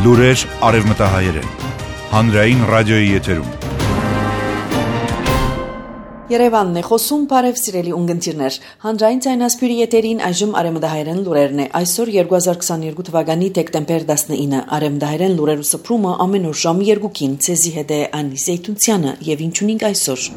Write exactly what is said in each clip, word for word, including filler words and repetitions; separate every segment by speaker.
Speaker 1: Լուրեր արևմտահայերեն։ Հանրային ռադիոյի եթերում։
Speaker 2: Երևանն է խոսում, բարև սիրելի ունգընտիրներ։ Հանրային ցայնասպյուրի եթերին այժմ արևմտահայերեն լուրերն է։ Այսօր երկու հազար քսաներկու թվականի դեկտեմբեր տասնինը արևմտահայերեն լուրերու սփռումը ամեն օր ժամը երկուքին ցեզի հետ է Անի Զեյթունցյանը եւ ինչունինք այսօր։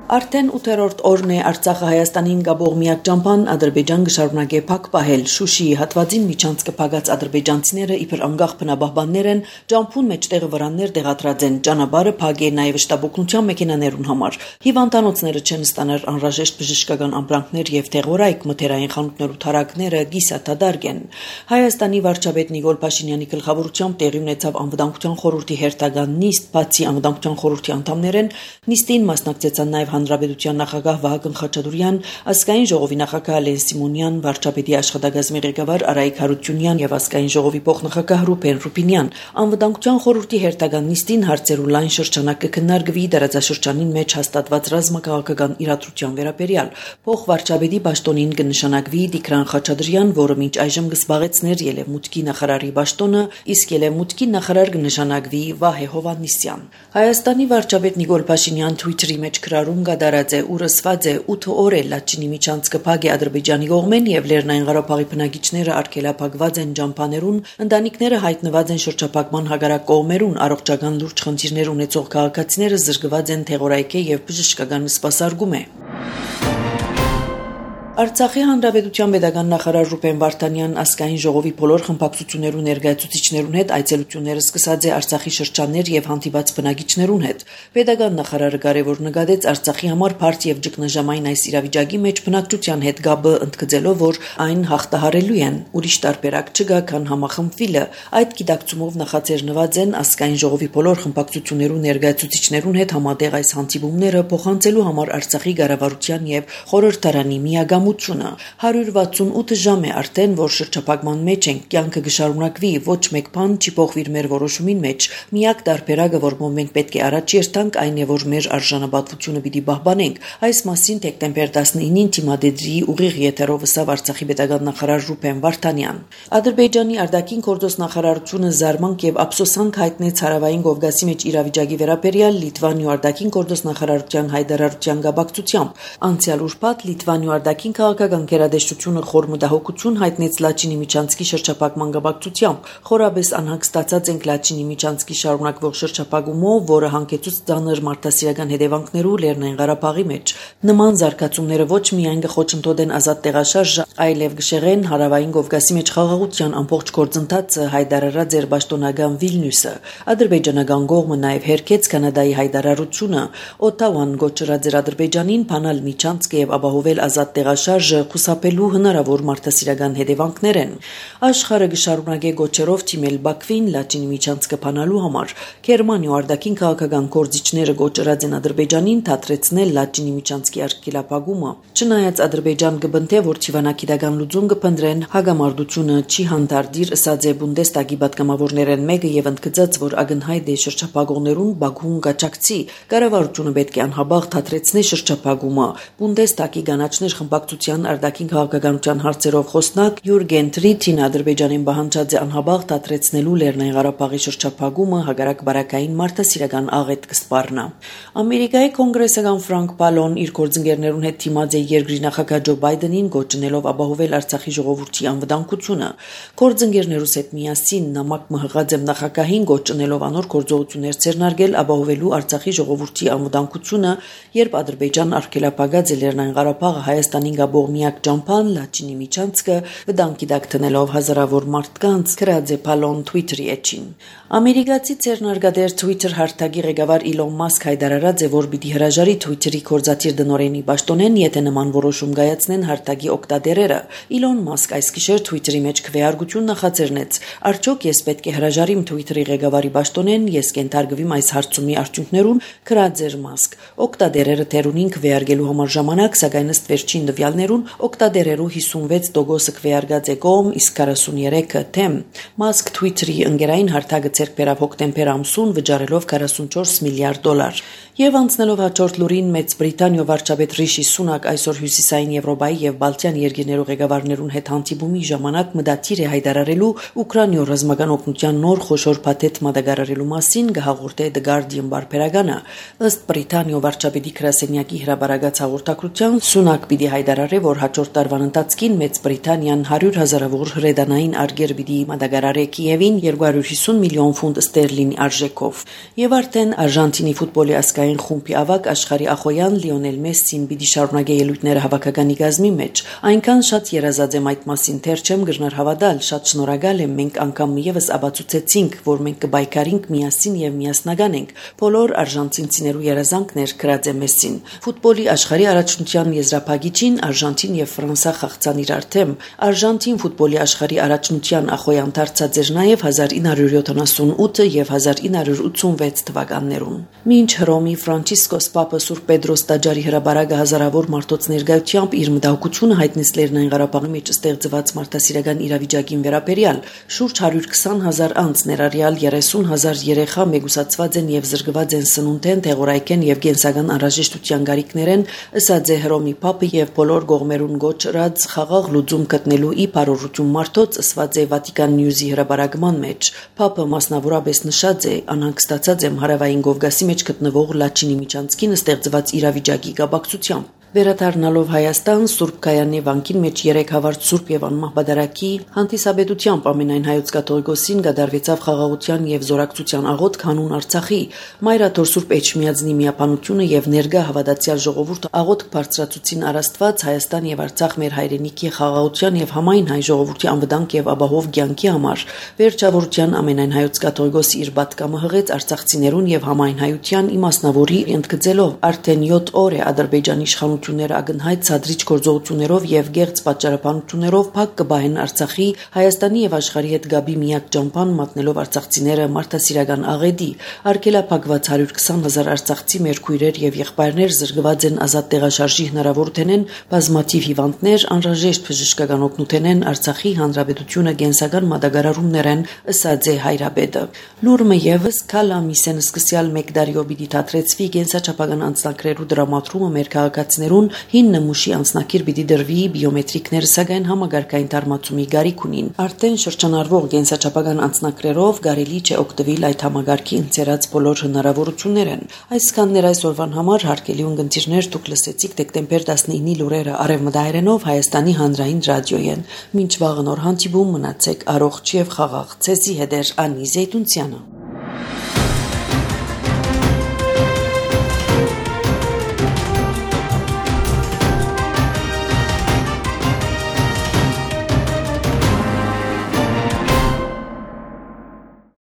Speaker 2: Արդեն ութերորդ օրն է Արցախը Հայաստանին գաբող միակ ճամփան Ադրբեջան գշարունակե փակ պահել Շուշիի հատվածին միջանցքը փակած ադրբեջանցիները իբր անկախ բնաբահբաններ են ճամփուն մեջտեղը վրաններ դեղատրած են ճանապարհը փակ է նաև շտաբօգնության մեքենաներուն համար հիվանդանոցները չեն ստանալ անհրաժեշտ բժշկական ամբրանքներ եւ թեղորայք մթերային խանութներու թարակները գիսաթադարգ են Հայաստանի վարչապետ Նիկոլ Փաշինյանի գլխավորությամբ տեղի ունեցավ անվտանգության խորհրդի հերթական նիստ բացի անվտանգության խորհրդի անդամներն նիստին մասնակցեցան նաև Հանրապետության նախագահ Վահագն Խաչատուրյան, ազգային ժողովի նախագահ Լեն Սիմոնյան, վարչապետի աշխատակազմի ղեկավար Արայիկ Հարությունյան եւ ազգային ժողովի փոխնախագահ Ռուբեն Ռուբինյան։ Անվտանգության խորհրդի հերթական նիստին հարցերու լայն շրջանակ կքննարկվի դարաձաշրջանին մեջ հաստատված ռազմաքաղաքական իրադրության վերաբերյալ։ Փոխվարչապետի պաշտոնին կնշանակվի Տիգրան Խաչատրյան, որը մինչ այժմ կզբաղեցներ Ելևմուտքի նախարարի պաշտոնը, իսկ Ելևմուտքի նախարար կնշանակվի Վահե Հովհաննիսյան։ Հայաստանի վարչապետ Նիկոլ Փաշինյան Twitter-ի մեջ գրառում Գադարած է ուրսված է ութ օր է Լաչինի միջանցքը փակ է Ադրբեջանի կողմեն եւ Լեռնային Ղարաբաղի բնակիչները արգելափակված են ճամփաներուն, ընտանիքները հայտնված են շրջափակման հագարակ կողմերուն, առողջական լուրջ խնդիրներ ունեցող քաղաքացիները զրկված են թեղորայքի եւ բժշկական սպասարկում է։ Արցախի հանրապետության պետական նախարար Ռուբեն Վարդանյան ազգային ժողովի բոլոր խմբակցություններու ներկայացուցիչներուն հետ այցելությունները սկսած է Արցախի շրջաններ եւ հանդիպած բնակիչներուն հետ։ Պետական նախարարը կարևոր նկատեց Արցախի համար բարդ եւ ճգնաժամային այս իրավիճակի մեջ բնակչության հետ գաբը ընդգծելով, որ այն հաղթահարելու են։ Ուրիշ տարբերակ չկա, քան համախմբվելը։ Այդ գիտակցումով նախաձեռնված են ազգային ժողովի բոլոր խմբակցություններու ներկայացուցիչներուն հետ համատեղ այս հանդիպումները փոխանցելու համար Արցախի կառավարության եւ խորհրդարանի միագամ հարյուր վաթսունութ ժամ է արդեն, որ շրջափակման մեջ ենք, կյանքը կշարունակվի, ոչ մեկ բան չի փոխվիր մեր որոշումին մեջ։ Միակ տարբերակը, որ մենք պետք է առաջ երթանք, այն է, որ մեր արժանապատվությունը պիտի պահպանենք։ Այս մասին դեկտեմբեր տասնինին Թիմադեդրի ուղիղ եթերով ասավ Արցախի պետական նախարար Ռուբեն Վարդանյան։ Ադրբեջանի արտաքին գործոստ նախարարությունը զարմանք եւ ափսոսանք հայտնեց Հարավային Կովկասի մեջ իրավիճակի վերաբերյալ Լիտվանիա արտաքին գործոստ նախարարության հայտարարության գաբակցությամբ։ Անցյալ ուրբաթ Լիտվանիա արտաքին քաղաքական գերադեսչությունը խոր մտահոգություն հայտնեց Լաչինի միջանցքի շրջափակման գաբակցությամբ։ Խորաբես անհանգստացած ենք Լաչինի միջանցքի շարունակվող շրջափակումով, որը հանգեցուց ծանր մարդասիրական հետևանքներու Լեռնային Ղարաբաղի մեջ։ Նման զարգացումները ոչ միայն կխոչընդոտեն ազատ տեղաշարժը, այլև կշեղեն Հարավային Կովկասի մեջ խաղաղության ամբողջ գործընթացը, հայտարարած էր պաշտոնական Վիլնյուսը։ Ադրբեջանական կողմը նաև հերքեց Կանադայի հայտարարությունը։ Օտավան գոչրած էր Ադրբեջանին բանալ միջանցքը եւ ապահովել ազատ տեղաշարժը խուսափելու հնարավոր մարդասիրական հետևանքներ են։ Աշխարհը կշարունակե գոչերով թիմել Բաքվին Լաչինի միջանցքը բանալու համար։ Գերմանիա արտաքին քաղաքական գործիչները գոչրած են Ադրբեջանին դադրեցնել Լաչինի միջանցքի արգելափակումը։ Չնայած Ադրբեջան կբնթե, որ թիվանակիտական լուծում կփնտրեն, հագամարտությունը չի հանդարտիր, ըսած է Բունդեստագի պատգամավորներն մեկը եւ ընդգծած, որ ակնհայտ է շրջափակողներուն Բաքուն կաչակցի։ Կառավարությունը պետք է անհաբաղ դադրեցնի շրջափակումը։ Բունդեստագի գանաչներ խմբակցության արտաքին քաղաքականության հարցերով խոսնակ Յուրգեն Տրիթին Ադրբեջանին պահանջած է անհաբաղ դադրեցնելու Լեռնային Ղարաբաղի շրջափակումը հագարակ բարակային մարդասիրական աղետ կսպառնա։ Ամերիկայի կոնգրեսական Ֆրանկ Պալոն իր գործընկերներուն հետ թիմած է երկրի նախագահ Ջո Բայդենին գոչնելով ապահովել Արցախի ժողովրդի անվտանգությունը։ Գործընկերներուս հետ միասին նամակ մհղած եմ նախագահին գոչնելով անոր գործողություններ ցերնարգել ապահովելու Արցախի ժողովրդի անվտանգությունը, երբ Ադրբեջան արգելափակած է Լեռնային Ղարաբաղը Հայաստանին գաբող միակ ճամփան Լաչինի միջանցքը վտանգի տակ դնելով հազարավոր մարդկանց գրած է Պալոն Twitter-ի էջին։ Ամերիկացի ցերնարգադեր Twitter հարթակի ղեկավար Իլոն Մասկ հայտարարած է, որ պիտի հրաժարի Twitter-ի կորզատիր դնորենի պաշտոնեն, եթե նման որոշում կայացնեն հարթակի օգտատերերը։ Իլոն Մասկ այս գիշեր Twitter-ի մեջ քվեարկություն նախաձեռնեց։ Արդյոք ես պետք է հրաժարիմ Twitter-ի ղեկավարի պաշտոնեն, ես կենթարկվիմ այս հարցումի արդյունքներուն, գրած էր Մասկ։ Օգտատերերը թերունին քվեարկելու համար ժամանակ, սակայն ըստ վերջին տվյալներուն օգտատերերու հիսունվեց տոկոսը քվեարկած է կողմ, իսկ քառասուներեքը թեմ։ Մասկ Twitter-ի ընկերային հարթակը ցերկ բերավ հոկտեմբեր ամսուն վճարելով քառասունչորս միլիարդ դոլար։ Եվ անցնելով հաջորդ լուրին, Մեծ Բրիտանիա վարչապետ Ռիշի Սունակ այսօր Հյուսիսային Եվրոպայի եւ Բալտյան երկրներու ղեկավարներուն հետ հանդիպումի ժամանակ մտադիր է հայտարարելու Ուկրաինայ ռազմական օգնության նոր խոշոր փաթեթ մատակարարելու մասին, գահաղորդե The Guardian բարբերականը։ Ըստ Բրիտանիա վարչապետի գրասենյակի հրապարակած հաղորդակցության, Սունակ պիտի հայտարարի, որ հաջորդ տարվան ընթացքին Մեծ Բրիտանիան հարյուր հազարավոր հրետանային արգեր պիտի մատակարարի Կիևին երկու հարյուր հիսուն միլիոն ֆունտ ստերլինի արժեքով։ Եվ արդեն Արժանտինի ֆուտբոլի ասկային խումբի ավակ աշխարհի ախոյան Լիոնել Մեսսին պիտի շարունակի ելույթները հավաքականի գազմի մեջ։ Այնքան շատ երազած եմ այդ մասին, թեր չեմ գրնար հավատալ, շատ շնորհակալ եմ, մենք անգամ միևս աբացուցեցինք, որ մենք կբայկարինք միասին եւ միասնական ենք։ Բոլոր արժանտինցիներու երազանքներ գրած է Մեսսին։ Ֆուտբոլի աշխարհի առաջնության եզրափակիչին Արժանտին եւ Ֆրանսա խաղցան իրար թեմ։ Արժանտին ֆուտբոլի աշխարհի առաջնության ախոյան դարձած էր նաեւ հազար ինը հարյուր յոթանասունութ եւ հազար ինը հարյուր ութսունվեց թվականներուն։ Մինչ Հռոմի Ֆրանցիսկոս Պապը Սուրբ Պետրոս տաճարի հրաբարակը հազարավոր մարդոց ներկայությամբ իր մտահոգությունը հայտնեց Լեռնային Ղարաբաղի մեջ ստեղծված մարդասիրական իրավիճակին վերաբերյալ, շուրջ հարյուր քսան հազար անձ ներառյալ երեսուն հազար երեխա մեգուսացված են եւ զրկված են սնունդեն, տեղորայքեն եւ կենսական անհրաժեշտության գարիքներեն, ըսած է Հռոմի Պապը եւ բոլոր գողմերուն գոչրած խաղաղ լուծում գտնելու ի բարօրություն մարդոց, ըսված է Վատիկան Նյուզի հրաբարակման մեջ։ Պապը մասնավորապես նշած է, անհանգստացած եմ հարավային Կովկասի մեջ գտնվող Լաչինի միջանցքին ստեղծված իրավիճակի կապակցությամբ։ Վերադառնալով Հայաստան, Սուրբ Գայանե վանքին մեջ երեք հավարտ Սուրբ եւ անմահ բադարակի հանդիսաբեդությամբ ամենայն հայոց կաթողիկոսին գդարվեցավ խաղաղության եւ զորակցության աղոթք հանուն Արցախի։ Մայրաթոր Սուրբ Էջմիածնի միապանությունը եւ ներգա հավատացյալ ժողովուրդը աղոթք բարձրացուցին առաստված Հայաստան եւ Արցախ մեր հայրենիքի խաղաղության եւ համայն հայ ժողովրդի անվտանգ եւ ապահով կյանքի համար։ Վերջավորության ամենայն հայոց կաթողիկոսի իր պատկամը հղեց արցախցիներուն եւ համայն հայության իմասնավորի ընդգծելով արդեն յոթ օր է Ադրբեջանի իշխանությունները ագնհայտ ցածրիչ գործողություններով եւ գեղձ պատճառաբանություններով փակ կբահեն Արցախի, Հայաստանի եւ աշխարհի հետ գաբի միակ ճամփան մատնելով արցախցիները մարդասիրական աղեդի, արգելափակված հարյուր քսան հազար արցախցի մեր քույրեր եւ եղբայրներ զրկված են ազատ տեղաշարժի հնարավորութենեն, բազմաթիվ հիվանդներ անհրաժեշտ բժշկական օգնութենեն Արցախի հանրապետությունը կենսական մատակարարումներեն, ըսած է Հայրապետը։ Լուրը եւս քալամիսեն սկսյալ մեկ դարիո պիտի թատրեցվի կենսաչափական անձնակրերու դրամատրումը մեր քաղաքացիներուն հին նմուշի անձնակիր պիտի դրվի բիոմետրիկներ, սակայն համագարկային թարմացումի գարիք ունին։ Արդեն շրջանառվող կենսաչափական անձնակրերով կարելի չէ օգտվել այդ համագարկի ընձեռած բոլոր հնարավորություններն։ Այսքաններ այսօրվան համար հարգելի ունգընտիրներ, դուք լսեցիք դեկտեմբեր տասնինի լուրերը արևմտահայերենով Հայաստանի հանրային ռադիոյեն։ Մինչ վաղը նոր հանդիպում, մնացեք առողջ եւ խաղաղ։ Ցեզի հետ է Անի Զեյթունցյանը։